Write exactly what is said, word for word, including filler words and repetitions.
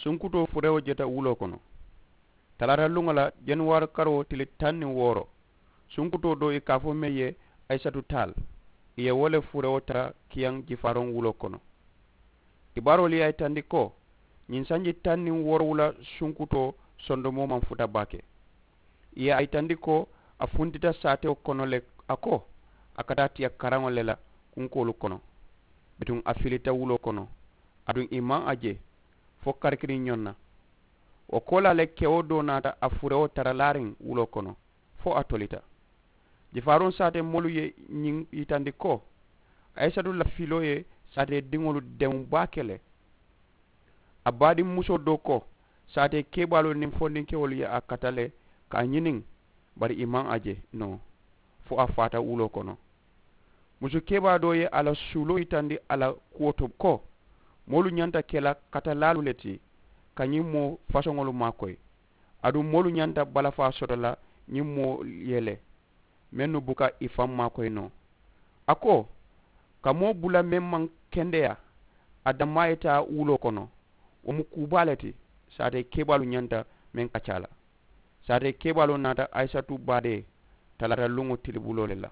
Sunkutoo furewo jeta wuloo kono. Talaata luŋo la, januwaari karoo tili taŋ niŋ wooro, sunkutoo doo i ka a fo meŋ ye ayisatu taal, i ye wo le furewo tara kiyaŋ jifaaroŋ wuloo kono. Kibaaroolu ye a yitandi ko ñiŋ sanji taŋ niŋ woorowula sunkutoo sondomoo maŋ futa baake. I ye a yitandi ko a funtita saatewo kono le, a ko a ka taa tiya karaŋo le la kunkoolu kono. Bituŋ a filita wuloo kono, aduŋ i maŋ a je fo karikiriŋ ñoŋ na. Wo koolaa le kewo doo naata a furewo tara laariŋ wuloo kono fo a tolita. Jifaaroŋ saatee moolu ye ñiŋ yitandi ko ayisatu la filoo ye saatee diŋolu demu baake le. A baadiŋ musoo doo ko saatee kebaalu niŋ fondinkewolu ye a kata le ka a ñiniŋ, bari i maŋ a je noo fo a faata wuloo kono. Musu kebaa doo ye a la suuloo yitandi a la kuwo to ko moolu ñanta ke la katalaalu le ti ka ñiŋ moo fasoŋolu maakoyi, aduŋ moolu ñanta balafaa soto la ñiŋ moolu ye le mennu buka i faŋ maakoyi noo. A ko ka moo bula meŋ maŋ kendeyaa a dammaa ye taa wuloo kono, wo mu kuu baa le ti. Saatee kebaalu ñanta meŋ kaccaa la. Saatee kebaaloo naata ayisatu baadee talaata luŋo tilibuloo le la.